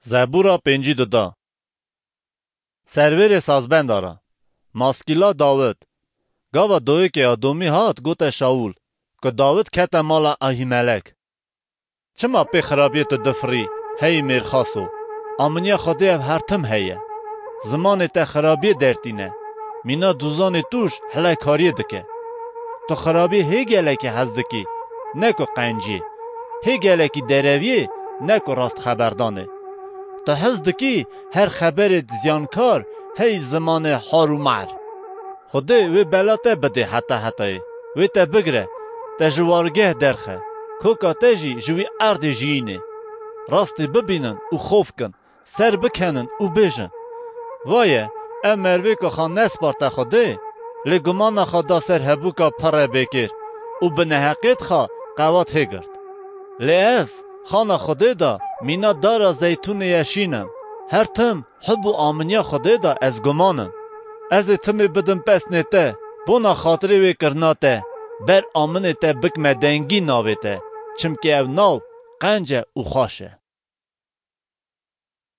Zebûra 52 da. Serwêrê sazbendara. Maskîla Dawid. Gava Doyêkê Adomî hat gote Şawûl ku Dawid kete mala Ahîmelek. Çima pê xirabiyê tu difirî, hey mêrxaso? Aminiya Xwedê ev her tim heye. Zimanê te xirabiyê dertîne. Mîna dûzanê tûj hilekariyê dike. Tu xirabiyê hê gelekî hez dikî, ne ku qenciyê. Hê gelekî dereviyê, ne ku rast xeberdanê. Tu hez dikî her xeberê ziyankar hey zimanê har û mar. Xwedê wê bela te bidê heta hetayê. Wê te bigire, te ji wargeh derxe. Koka te jî ji wî erdê jiyînê. Rastî bibînin û xof kin, ser bikenin û bêjin. Vaye ev merivê ku xwe nesparte Xwedê, lê gumana xwe da ser hebûka pirre bêkêr û bi neheqiyê xwe qewat hê girt. Lê ez xana Xwedê de mîna dara zeytûnê ye şîn im. Her tim hub û aminiya Xwedê de ez guman im. Ez ê timê bidim pesnê te, bona xatirê wê kirina te, ber aminê te bikme dengî navê te, çimkî ew nav qenc e û xweş e.